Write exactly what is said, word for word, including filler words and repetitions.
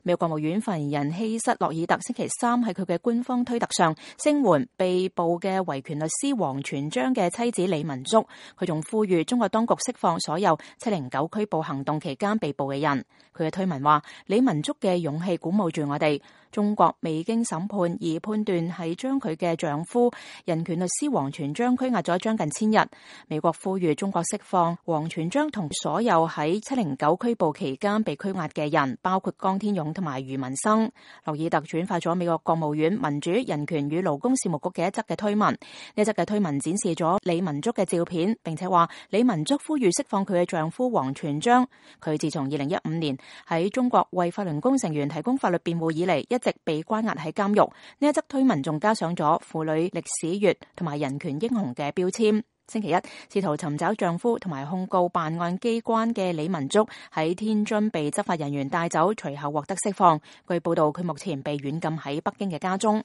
美國國務院發言人希瑟洛爾特星期三喺佢嘅官方推特上聲援被捕嘅維權律師王全璋嘅妻子李文足，佢仲呼籲中國當局釋放所有七零九拘捕行動期間被捕嘅人。佢嘅推文話：李文足嘅勇氣鼓舞住我哋。中國未經審判而判斷係將佢嘅丈夫人權律師王全璋拘押咗將近千日。美國呼籲中國釋放王全璋同所有喺七零九拘捕期間被拘押嘅人，包括江天勇同埋余文生。洛爾特轉發咗美國國務院民主、人權與勞工事務局嘅一則嘅推文，呢一則嘅推文展示咗李文足嘅照片，並且話李文足呼籲釋放佢嘅丈夫王全璋。佢自從二零一五年喺中國為法輪功成員提供法律辯護以嚟，一直被關押喺監獄。呢一則推文仲加上咗婦女歷史月同埋人權英雄嘅標籤。星期一，試圖尋找丈夫同埋控告辦案機關嘅李文足喺天津被執法人員帶走，隨後獲得釋放。據報道，佢目前被軟禁喺北京嘅家中。